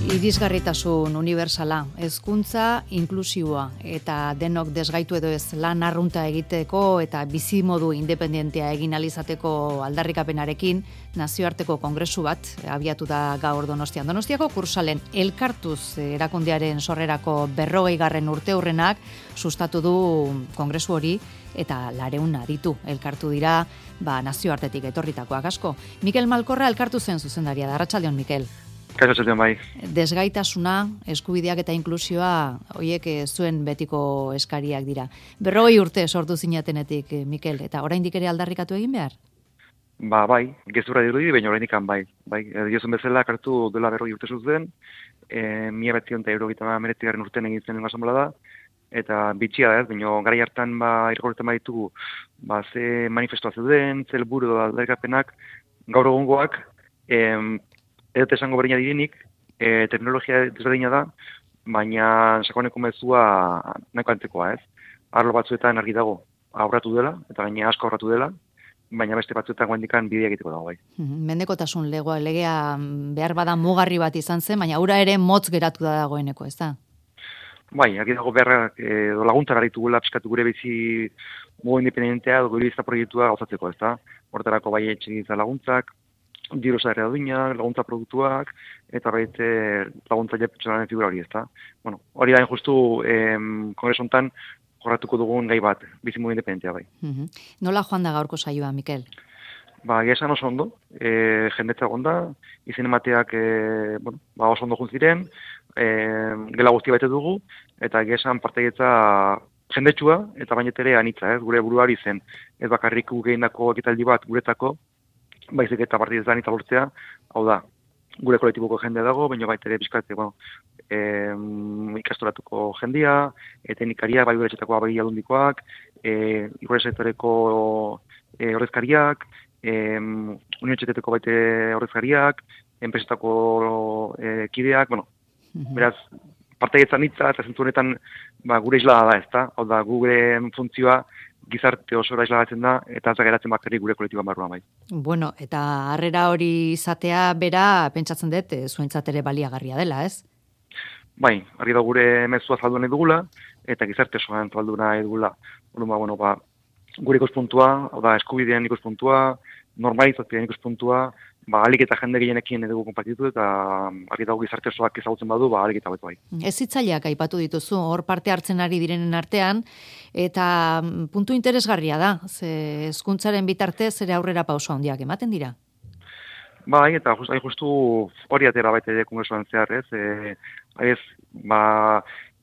Irisgarritasun unibertsala, hezkuntza inklusiboa eta denok desgaitu edo ez lan arrunta egiteko eta bizimodu independentea egin alizateko aldarrikapenarekin nazioarteko kongresu bat abiatu da gaur Donostian. Donostiako Kursalen elkartuz erakundearen sorrerako 40. urteurrenak sustatu du kongresu hori eta 200 aditu elkartu dira nazioartetik etorritakoak asko. Mikel Malkorra elkartu zen zuzendaria da. Arratsaldeon, Mikel. Bai. Desgaitasuna, eskubideak eta inklusioa, horiek zuen betiko eskariak dira. 40 urte sortu zinatenetik, Mikel, eta oraindik ere aldarrikatu egin behar? Bai, gezurra dirudi, baina oraindik bai. Diozun bezala, kartu dela 40 urte zuten, 1989 urtean egin zen asamblea da, eta bitxia da ez, baina garai hartan irgorretan baditugu, ze manifestua zeuden, ze helburu aldarrikapenak, gaur egungoak, edo esango berdina direnik, teknologia desberdina da, baina sakoneko mezua nahiko antzekoa, ez? Arlo batzuetan argi dago aurratu dela, eta gaina asko aurratu dela, baina beste batzuetan guandikan bidea egiteko dago, bai. Mendekotasun legea behar bada mugarri bat izan zen, baina ura ere motz geratu da dagoeneko, ez da? Bai, argi dago beharrak laguntzak aritugula pixkatu gure bizi modu independentea edo gure bizta proiektua gauzatzeko, ez da? Hortarako bai etxegintza laguntzak, diru sarrera duinak, laguntza produktuak, eta baita laguntza pertsonalen figura hori, ezta? Bueno, hori da justu kongresu hontan jorratuko dugun gai bat, bizimodu independentea bai. Nola joan da gaurko saioa, Mikel? Esan oso ondo, jendetza gonda, izen emateak oso ondo juntziren, gela guzti baite dugu, eta esan partegetza jendetsua, eta bainetere anitza, gure buruari zen. Ez bakarrik gehiendako ekitaldi bat guretako, baizik eta partidetan eta lortzea, hau da, gure kolektiboko jendea dago, baina baita ere bizkate, ikastoratuko jendia, teknikaria, bai gure etxetakoa bai aldundikoak, gure sektoreko horrezkariak, unibertsitateko baite horrezkariak, enpresetako kideak, beraz, partegetzan hitza, eta zentu honetan gure islada da, ezta? Hau da, gure funtzioa gizarte osora isladatzen da, eta ez da geratzen bakarrik gure kolektiboan barruan bai. Bueno, eta harrera hori izatea bera, pentsatzen dut, zuentzat ere baliagarria dela, ez? Bai, argi da gure mezua zaldu nahi dugula, eta gizarte osoan zaldu nahi dugula. Gure ikuspuntua, hau da, eskubidean ikuspuntua, normalizazioan ikuspuntua, alik eta jende gehienekin edugu konpartitu, eta argi dago gizarte osoak ezagutzen badu, alik eta betu bai. Ez hitzaileak aipatu dituzu, hor parte hartzen ari direnen artean, eta puntu interesgarria da, ze hezkuntzaren bitartez ere aurrera pauso handiak ematen dira. Bai, eta justu hori atera baita ere kongresuan zehar, ez?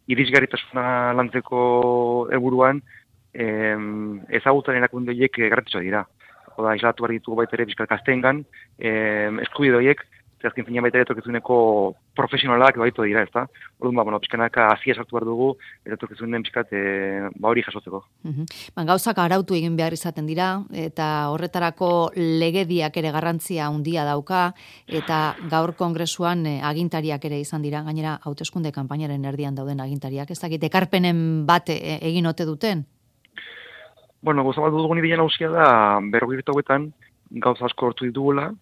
Irisgarritasuna lantzeko helburuan, ezagutzen erakundeek garrantzitsua dira. Oda, islatu behar ditugu baita ere bizkal gazteengan, eskubide horiek, zehazkin fina baita ere etorkizunego profesionalak baitu dira, ezta? Orduan, pizkanaka hasia sartu behar dugu, eta etorkizunen bizkat hori jasotzeko. Gauzak arautu egin behar izaten dira, eta horretarako legediak ere garrantzia handia dauka, eta gaur kongresuan agintariak ere izan dira, gainera hauteskunde kanpainaren erdian dauden agintariak, ez dakit, ekarpenen bat egin ote duten? Gauza bat dugun ideia nagusia da, 40 hauetan gauza asko hortu ditugula,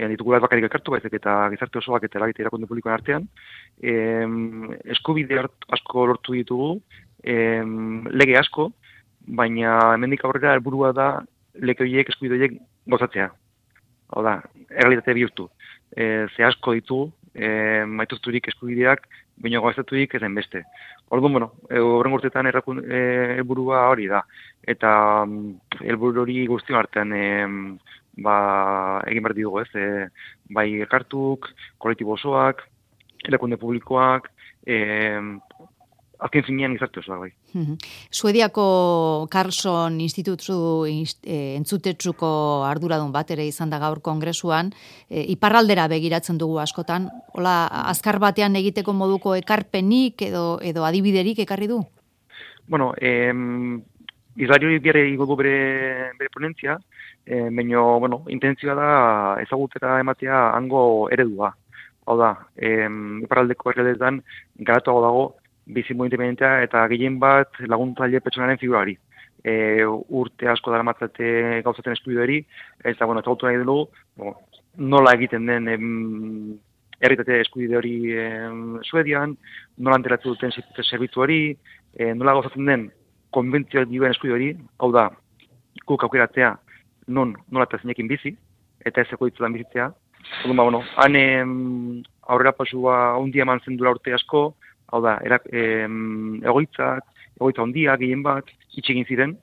ditugula ez bakarrik elkartu, baizik eta gizarte osoak eta eragite erakunde publikoen artean, eskubide asko lortu ditugu, lege asko, baina hemendik aurrera helburua da lege horiek, eskubide horiek gauzatzea. Hau da, errealitate bihurtu. Ze asko ditugu, maituzturik eskubideak, baina gauzaturik ezen beste. Orduan, horren urtetan helburua hori da. Eta helburu hori guztion artean egin behar dugu, ez? Bai elkartuk, kolektibo osoak, erakunde publikoak, azken finean gizarte osoak, bai. Suediako Carlson Institutu entzutetsuko arduradun bat ere izan da gaur kongresuan, iparraldera begiratzen dugu askotan, hola, azkar batean egiteko moduko ekarpenik edo adibiderik ekarri du? Islari hori bihar egingo bere ponentzia, baina, intentzioa da ezagutera ematea hango eredua. Hau da, iparraldeko herrialdeetan garatuago dago bizimodu independentea eta gehien bat laguntzaile pertsonalen figurari. Urte asko daramatzate gauzatzen eskubide hori, eta ezagutu nahi dugu, nola egiten den herritate eskubide hori Suedian, nola anteratu duten zerbitzu hori, nola gauzatzen den konbentzioa dioen eskubide hori, hau da, guk aukeratzea nola eta zeinekin bizi, eta ez egoitzetan bizitzea. Orduan, han aurrera pasua handia eman zen dura urte asko, hau da, egoitza handia gehien bat, itxegin ziren,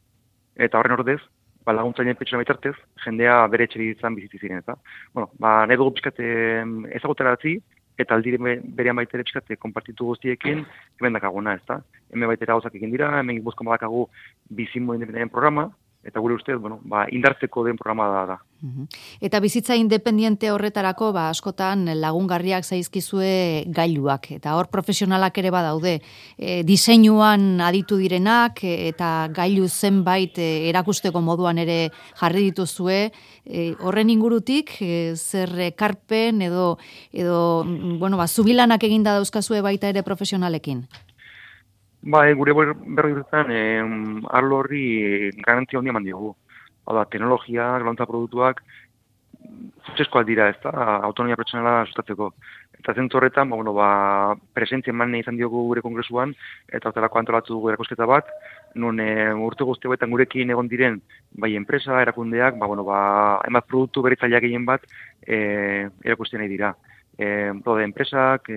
eta horren ordez, laguntzaileen pertsona bitartez, jendea bere etxebizitzan bizitzi ziren, eta. Nahi dugu pixkat ezagutarazi, eta aldire berean baitere pixkat konpartitu guztiekin, hemen dakaguna, ezta. Hemen baitera gauzak egin dira, hemen gipuzkoan badakagu bizimo independenten programa, eta gure ustez, indartzeko den programa da. Eta bizitza independiente horretarako, askotan lagungarriak zaizkizue gailuak, eta hor profesionalak ere badaude. Diseinuan aditu direnak, eta gailu zenbait erakusteko moduan ere jarri dituzue, horren ingurutik, zer ekarpen edo zubilanak eginda dauzkazue baita ere profesionalekin? Gure berri urtetan, arlo horri garantia handia eman diogu. Teknologia, laguntza produktuak, zutzeskoak dira, ez da, autonomia pertsonala sustatzeko. Eta zentzu horretan, presentzia eman izan diogu gure kongresuan, eta hortelako antolatu dugu erakusketa bat, non urte guzti hauetan gurekin egon diren, bai enpresa, erakundeak, hainbat produktu berritzaileak gehien bat, erakusten nahi dira. Enpresak,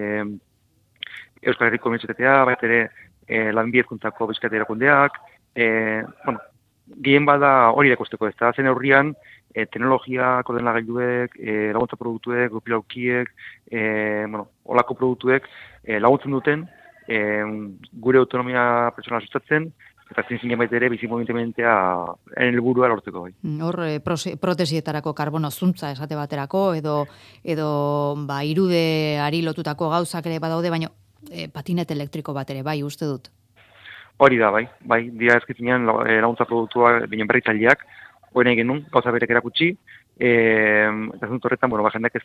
Euskal Herriko Unibertsitatea, bat ere, lanbidezkuntzako bizkaite erakundeak, gehien bada hori erakusteko ez da, zen aurrian, teknologia, koordenagailuek, laguntza produktuek, grupilaukiek, olako produktuek laguntzen duten, gure autonomia pertsonala sustatzen, eta zin baita ere bizimo independentea helburua lortzeko. Hor, protesietarako karbono zuntza esate baterako, edo irudeari lotutako gauzak ere badaude, baina patinet elektriko bat ere, bai, uste dut. Hori da, bai, dira ezkizinean laguntza produktua binen berritzaileak, hori nahi genuen, gauza berek erakutsi, eta zentzu horretan, jendeak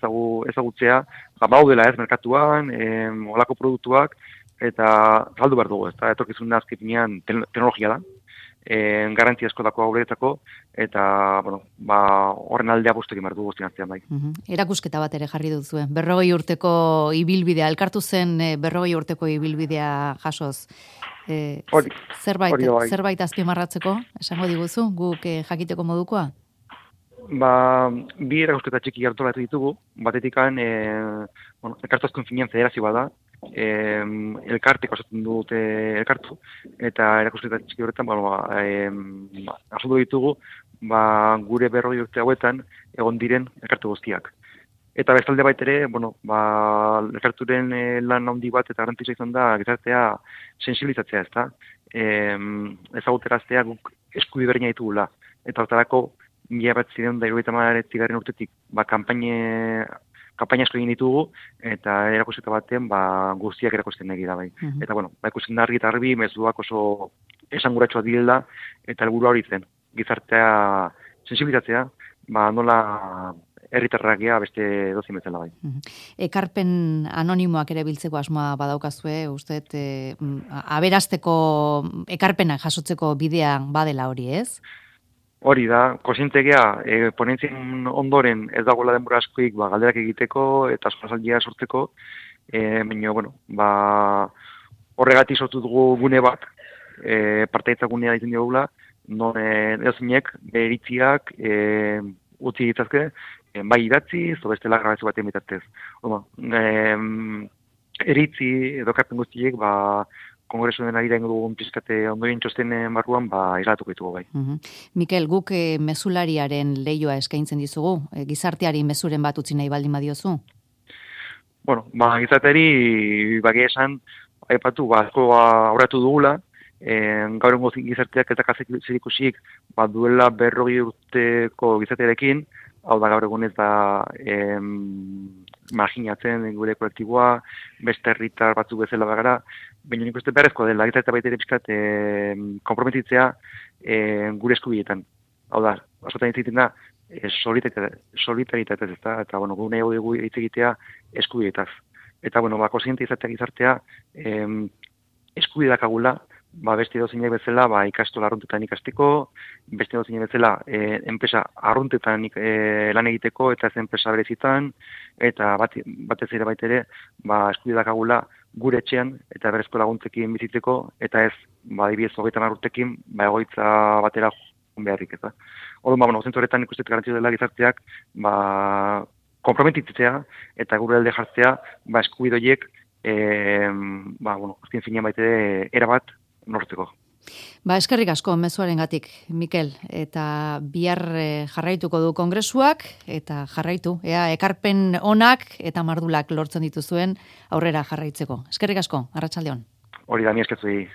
ezagutzea, baudela ez merkatuan, olako produktuak, eta saldu behar dugu, ez da, etorkizun azkizinean teknologia da, garantia asko dako guretzako, eta, horren aldea bostekin behar dugu guztien artean, bai. Erakusketa bat ere jarri duzuen, 40 urteko ibilbidea, elkartu zen 40 urteko ibilbidea jasoz. Zerbait azpimarratzeko, esango diguzu, guk jakiteko modukoa? Bi erakusketa txiki hartolatu ditugu, batetikan, elkartu azkun finean federazio bada, elkartek osatzen dute elkartu, eta erakusketa txiki horretan, azaldu ditugu, gure 40 urte hauetan egon diren elkartu guztiak. Eta bestalde baitere, elkarturen lan handi bat eta garrantzitsua izan da gizartea sensibilizatzea, ezta? Ezaguteraztea guk eskubide berdina ditugula. Eta hortarako 1979 urtetik kanpaina asko egin ditugu eta erakusketa baten guztiak erakusten nahi da bai. Eta ikusten da argi eta garbi mezuak oso esanguratsuak direla eta helburua hori zen. Gizartea sensibilizatzea, nola herritarrak gea beste dozin bezala bai. Ekarpen anonimoak ere biltzeko asmoa badaukazue, usteet, aberasteko ekarpenak jasotzeko bidean badela hori, ez? Hori da, konsientegea, ponentzien ondoren ez dagoela denbora askoik galderak egiteko eta askorazaldia sortzeko, horregatik sortu dugu gune bat, partaitza gunea ditzen diogula, non edozinek beritziak utzi ditzazke, bai idatzi, bestela grabazio batean bitartez. Eritzi edo ekarpen guztiek, kongresuaren arira ingo dugun pizkate ondoien txostenen barruan, islatuko ditugu bai. Mikel, guk mezulariaren leioa eskaintzen dizugu, gizarteari mezuren bat utzi nahi baldin badiozu? Gizarteari bagia esan, aipatu, asko aurratu dugula, gaur egun gizarteak eta zerikusik duela 40 urteko gizartearekin, hau da gaur egun ez da marginatzen gure kolektiboa, beste herritar batzuk bezala bagara, baina nik uste beharrezkoa dela, eta baita ere pixkat konprometitzea gure eskubiletan. Hau da, askotan hitz egiten da, solidaritatez ez da, eta gune dugu hitz egitea eskubiletaz. Eta, konsiente izatea gizartea eskubide dakagula, beste dozeinek bezala, ikastola arruntetan ikasteko, beste dozeinek bezala, enpresa arruntetan lan egiteko, eta ez enpresa berezitan, eta batez ere baitere, eskubide dakagula gure etxean, eta berezko laguntzekin bizitzeko, eta ez, adibidez 30 urtekin, egoitza batera beharrik, eta. Orduan, zentzu horretan ikustet garantzio dela gizarteak, konprometitzea, eta gure alde jartzea, eskubide horiek, azken finean baitere erabat nortzeko. Eskerrik asko mezuarengatik, Mikel, eta bihar jarraituko du kongresuak, eta jarraitu, ekarpen onak eta mardulak lortzen dituzuen aurrera jarraitzeko. Eskerrik asko, arratsaldeon. Hori da, mi eskertzuei.